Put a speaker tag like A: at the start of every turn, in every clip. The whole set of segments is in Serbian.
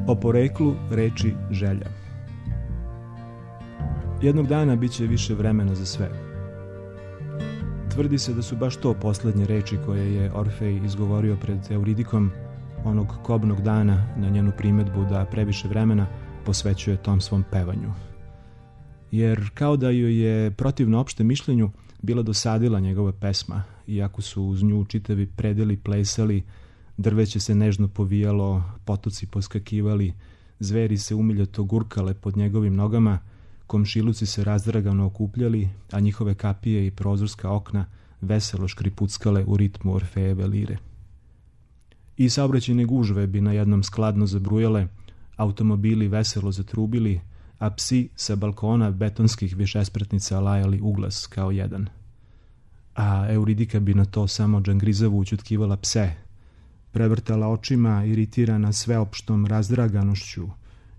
A: O poreklu reči želja. Jednog dana bit će više vremena za sve. Tvrdi se da su baš to posljednje reči koje je Orfej izgovorio pred Euridikom onog kobnog dana na njenu primedbu da previše vremena posvećuje tom svom pevanju. Jer kao da joj je, protivno opštem mišljenju, bila dosadila njegova pesma, iako su uz nju čitavi predeli plesali, drveće se nežno povijalo, potoci poskakivali, zveri se umiljato gurkale pod njegovim nogama, komšiluci se razdragano okupljali, a njihove kapije i prozorska okna veselo škripuckale u ritmu Orfejeve lire. I saobraćajne gužve bi na jednom skladno zabrujale, automobili veselo zatrubili, a psi sa balkona betonskih višespratnica lajali uglas kao jedan. A Euridika bi na to samo džangrizavo ućutkivala pse, prevrtala očima, iritirana sveopštom razdraganošću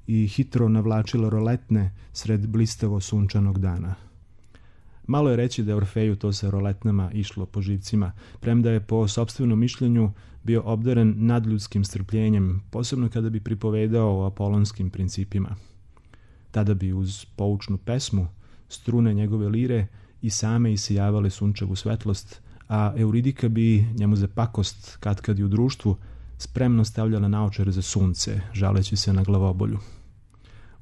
A: i hitro navlačila roletne sred blistavo sunčanog dana. Malo je reći da je Orfeju to sa roletnama išlo po živcima, premda je po sopstvenom mišljenju bio obdaren nadljudskim strpljenjem, posebno kada bi pripovedao o apolonskim principima. Tada bi uz poučnu pesmu strune njegove lire i same isijavale sunčevu svetlost, a Euridika bi njemu za pakost, katkad i u društvu, spremno stavljala naočare za sunce, žaleći se na glavobolju.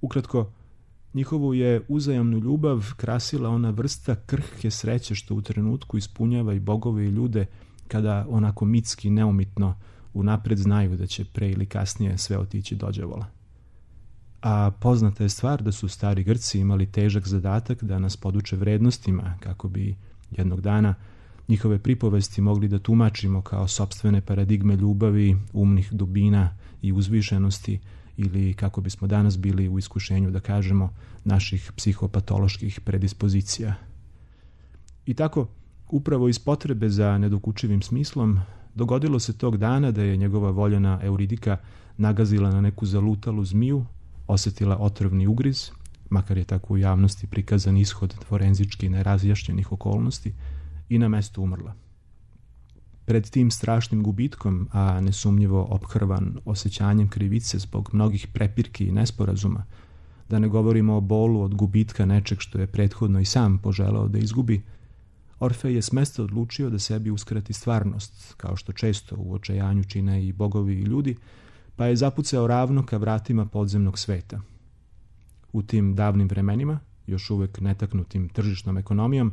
A: Ukratko, njihovu je uzajamnu ljubav krasila ona vrsta krhke sreće što u trenutku ispunjava i bogove i ljude, kada onako mitski neumitno unapred znaju da će pre ili kasnije sve otići dođavola. A poznata je stvar da su stari Grci imali težak zadatak da nas poduče vrednostima, kako bi jednog dana njihove pripovesti mogli da tumačimo kao sopstvene paradigme ljubavi, umnih dubina i uzvišenosti, ili kako bismo danas bili u iskušenju da kažemo naših psihopatoloških predispozicija. I tako, upravo iz potrebe za nedokučivim smislom, dogodilo se tog dana da je njegova voljena Euridika nagazila na neku zalutalu zmiju, osjetila otrovni ugriz, makar je tako u javnosti prikazan ishod forenzički nerazjašnjenih okolnosti, i na mestu umrla. Pred tim strašnim gubitkom, a nesumnjivo ophrvan osjećanjem krivice zbog mnogih prepirki i nesporazuma, da ne govorimo o bolu od gubitka nečeg što je prethodno i sam poželao da izgubi, Orfej je smesta odlučio da sebi uskrati stvarnost, kao što često u očajanju čine i bogovi i ljudi, pa je zapucao ravno ka vratima podzemnog sveta. U tim davnim vremenima, još uvek netaknutim tržišnom ekonomijom,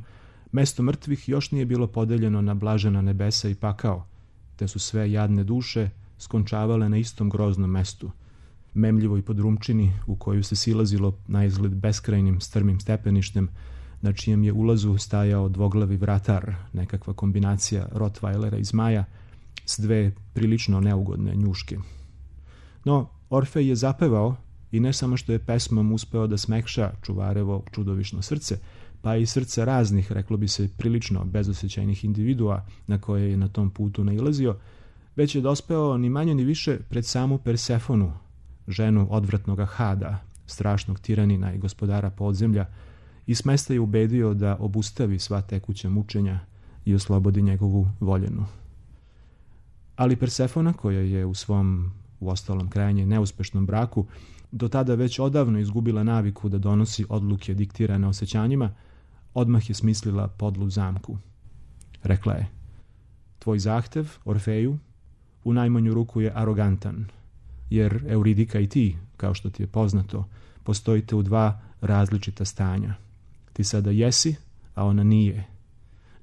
A: mesto mrtvih još nije bilo podeljeno na blažena nebesa i pakao, te su sve jadne duše skončavale na istom groznom mestu, memljivoj podrumčini u koju se silazilo na izgled beskrajnim strmim stepeništem, na čijem je ulazu stajao dvoglavi vratar, nekakva kombinacija Rottweilera i zmaja, s dve prilično neugodne njuške. No, Orfej je zapevao i ne samo što je pesmom uspeo da smekša čuvarevo čudovišno srce, pa i srca raznih, reklo bi se, prilično bezosjećajnih individua na koje je na tom putu nailazio, već je dospeo ni manje ni više pred samu Persefonu, ženu odvratnoga Hada, strašnog tiranina i gospodara podzemlja, i smesta je ubedio da obustavi sva tekuća mučenja i oslobodi njegovu voljenu. Ali Persefona, koja je u svom, uostalom krajnje neuspešnom braku, do tada već odavno izgubila naviku da donosi odluke diktirane osjećanjima, odmah je smislila podlu zamku. Rekla je: tvoj zahtev, Orfeju, u najmanju ruku je arogantan, jer Euridika i ti, kao što ti je poznato, postojite u dva različita stanja. Ti sada jesi, a ona nije.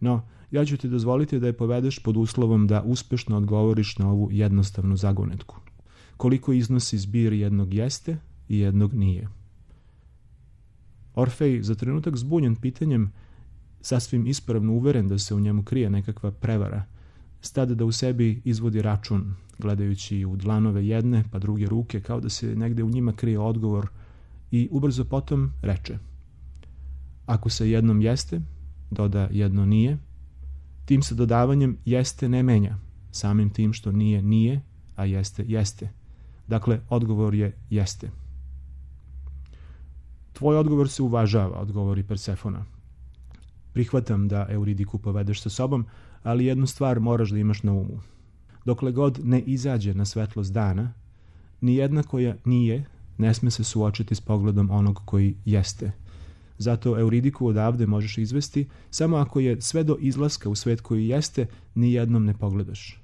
A: No, ja ću ti dozvoliti da je povedeš pod uslovom da uspešno odgovoriš na ovu jednostavnu zagonetku. Koliko iznosi zbir jednog jeste i jednog nije? Orfej, za trenutak zbunjen pitanjem, sasvim ispravno uveren da se u njemu krije nekakva prevara, stade da u sebi izvodi račun, gledajući u dlanove jedne pa druge ruke, kao da se negde u njima krije odgovor, i ubrzo potom reče: ako se jednom jeste, doda jedno nije, tim se dodavanjem jeste ne menja, samim tim što nije nije, a jeste jeste. Dakle, odgovor je jeste. Tvoj odgovor se uvažava, odgovori Persefona. Prihvatam da Euridiku povedeš sa sobom, ali jednu stvar moraš da imaš na umu. Dokle god ne izađe na svetlost dana, Nijedna koja nije ne sme se suočiti s pogledom onog koji jeste. Zato Euridiku odavde možeš izvesti samo ako je sve do izlaska u svet koji jeste nijednom ne pogledaš.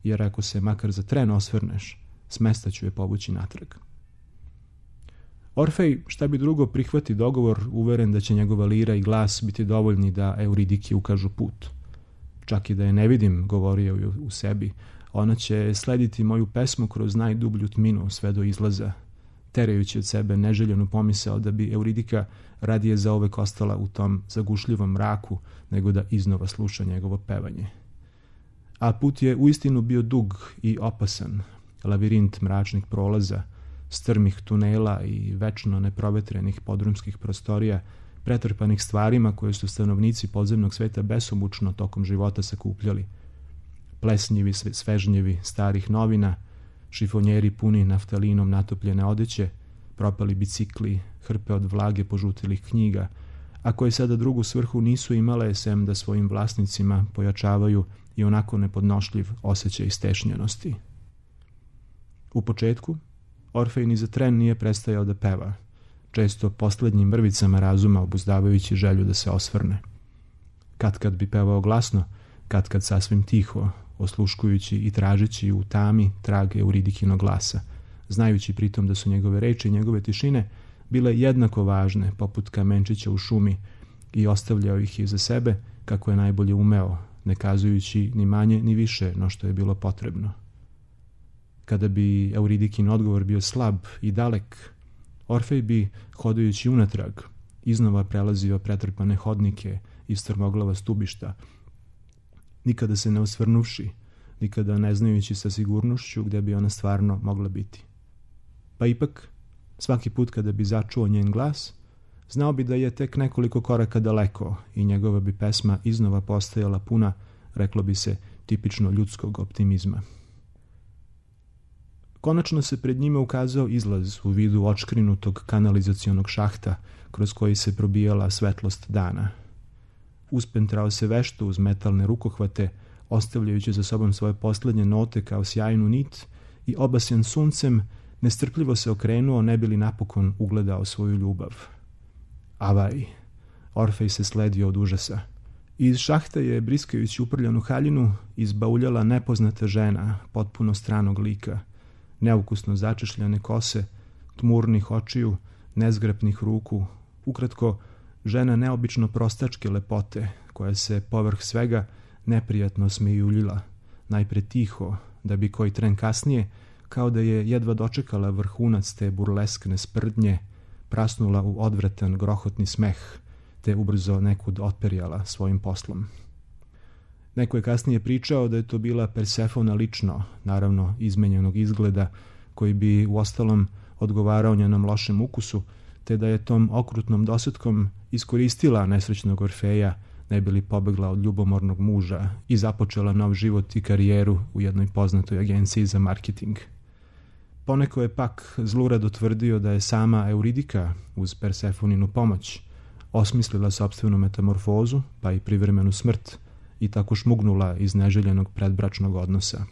A: Jer ako se makar za tren osvrneš, s mesta ću je povući natrag. Orfej, šta bi drugo, prihvati dogovor, uveren da će njegova lira i glas biti dovoljni da Euridiki ukažu put. Čak i da je ne vidim, govorio je u sebi, ona će slediti moju pesmu kroz najdublju tminu sve do izlaza, terajući od sebe neželjenu pomisao da bi Euridika radije zauvek ostala u tom zagušljivom mraku nego da iznova sluša njegovo pevanje. A put je uistinu bio dug i opasan, lavirint mračnih prolaza, strmih tunela i večno neprovetrenih podrumskih prostorija, pretrpanih stvarima koje su stanovnici podzemnog sveta besomučno tokom života sakupljali. Plesnjivi svežnjevi starih novina, šifonjeri puni naftalinom natopljene odeće, propali bicikli, hrpe od vlage požutilih knjiga, a koje sada drugu svrhu nisu imale sem da svojim vlasnicima pojačavaju i onako nepodnošljiv osjećaj stešnjenosti. U početku, Orfej ni za tren nije prestajao da peva, često poslednjim mrvicama razuma obuzdavajući želju da se osvrne. Kad bi pevao glasno, kad sasvim tiho, osluškujući i tražeći u tami trag Euridikinog glasa, znajući pritom da su njegove reči i njegove tišine bile jednako važne, poput kamenčića u šumi, i ostavljao ih iza sebe kako je najbolje umeo, ne kazujući ni manje ni više no što je bilo potrebno. Kada bi Euridikin odgovor bio slab i dalek, Orfej bi, hodajući unatrag, iznova prelazio pretrpane hodnike i strmoglava stubišta, nikada se ne osvrnuvši, nikada ne znajući sa sigurnošću gde bi ona stvarno mogla biti. Pa ipak, svaki put kada bi začuo njen glas, znao bi da je tek nekoliko koraka daleko i njegova bi pesma iznova postajala puna, reklo bi se, tipično ljudskog optimizma. Konačno se pred njime ukazao izlaz u vidu očkrinutog kanalizacionog šahta kroz koji se probijala svetlost dana. Uspentrao se vešto uz metalne rukohvate, ostavljajući za sobom svoje poslednje note kao sjajnu nit, i obasjan suncem nestrpljivo se okrenuo ne bi li napokon ugledao svoju ljubav. Avaj! Orfej se sledio od užasa. Iz šahta je, briskajući uprljanu haljinu, izbauljala nepoznata žena, potpuno stranog lika, neukusno začešljane kose, tmurnih očiju, nezgrapnih ruku, ukratko, žena neobično prostačke lepote, koja se povrh svega neprijatno smejuljila, najpre tiho, da bi koji tren kasnije, kao da je jedva dočekala vrhunac te burleskne sprdnje, prasnula u odvratan grohotni smeh, te ubrzo nekud otperijala svojim poslom. Neko je kasnije pričao da je to bila Persefona lično, naravno izmenjenog izgleda, koji bi uostalom odgovarao njenom lošem ukusu, te da je tom okrutnom dosetkom iskoristila nesrećnog Orfeja, ne bi li pobegla od ljubomornog muža i započela nov život i karijeru u jednoj poznatoj agenciji za marketing. Poneko je pak zlurado tvrdio da je sama Euridika, uz Persefoninu pomoć, osmislila sopstvenu metamorfozu, pa i privremenu smrt, i tako šmugnula iz neželjenog predbračnog odnosa.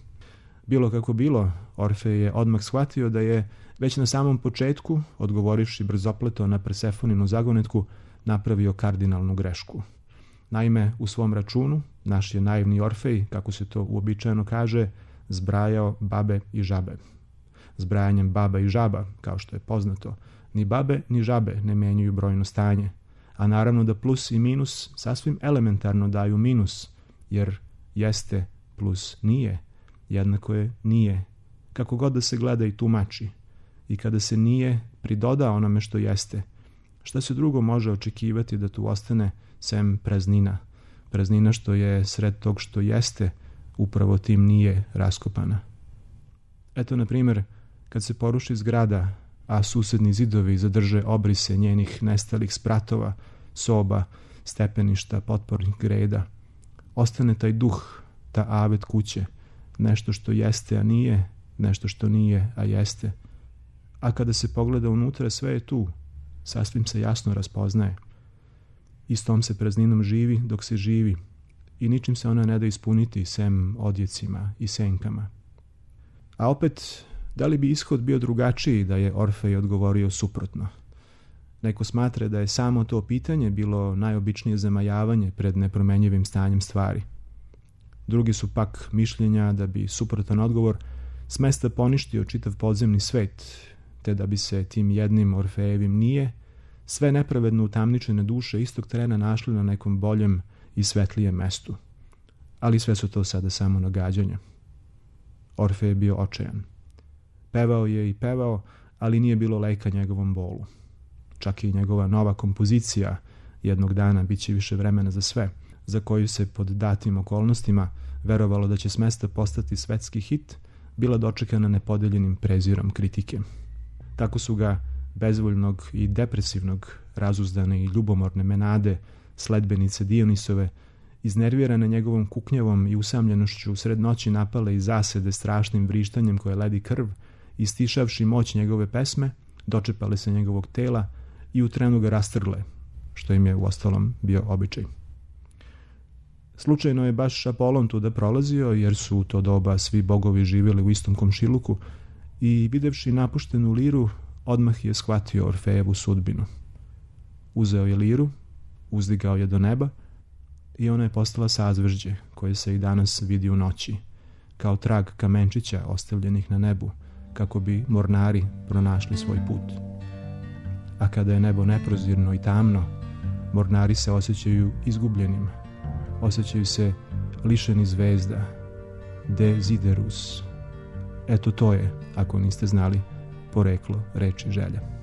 A: Bilo kako bilo, Orfej je odmah shvatio da je već na samom početku, odgovorivši brzopleto na Persefoninu zagonetku, napravio kardinalnu grešku. Naime, u svom računu, naš je naivni Orfej, kako se to uobičajeno kaže, zbrajao babe i žabe. Zbrajanjem baba i žaba, kao što je poznato, ni babe ni žabe ne menjaju brojno stanje, a naravno da plus i minus sasvim elementarno daju minus, jer jeste plus nije, jednako je nije, kako god da se gleda i tumači. I kada se nije pridoda onome što jeste, šta se drugo može očekivati da tu ostane sem praznina? Praznina što je sred tog što jeste, upravo tim nije raskopana. Eto, na primjer, kad se poruši zgrada, a susedni zidovi zadrže obrise njenih nestalih spratova, soba, stepeništa, potpornih greda, ostane taj duh, ta avet kuće, nešto što jeste, a nije, nešto što nije, a jeste. A kada se pogleda unutra, sve je tu, sasvim se jasno raspoznaje. I s tom se prazninom živi dok se živi i ničim se ona ne da ispuniti sem odjecima i senkama. A opet, Da li bi ishod bio drugačiji da je Orfej odgovorio suprotno? Neko smatra da je samo to pitanje bilo najobičnije zamajavanje pred nepromenjivim stanjem stvari. Drugi su pak mišljenja da bi suprotan odgovor smesta poništio čitav podzemni svet, te da bi se tim jednim Orfejevim nije sve nepravedno utamničene duše istog trena našli na nekom boljem i svetlijem mestu. Ali sve su to sada samo nagađanja. Orfej je bio očajan. Pevao je i pevao, ali nije bilo leka njegovom bolu. Čak i njegova nova kompozicija jednog dana bit će više vremena za sve, za koju se pod datim okolnostima verovalo da će s mesta postati svetski hit, bila dočekana nepodeljenim prezirom kritike. Tako su ga bezvoljnog i depresivnog, razuzdane i ljubomorne Menade, sledbenice Dionisove, iznervirane njegovom kuknjavom i usamljenošću sred noći napale i zasede strašnim vrištanjem koje ledi krv, istišavši moć njegove pesme, dočepale se njegovog tela i u trenu ga rastrgle, što im je uostalom bio običaj. Slučajno je baš Apolon tuda prolazio, jer su u to doba svi bogovi živjeli u istom komšiluku i videvši napuštenu liru, odmah je shvatio Orfejevu sudbinu. Uzeo je liru, uzdigao je do neba i ona je postala sazvežđe koje se i danas vidi u noći, kao trag kamenčića ostavljenih na nebu, kako bi mornari pronašli svoj put. A kada je nebo neprozirno i tamno, mornari se osjećaju izgubljenim, osjećaju se lišeni zvezda, desiderus. Eto to je, ako niste znali, poreklo reči želja.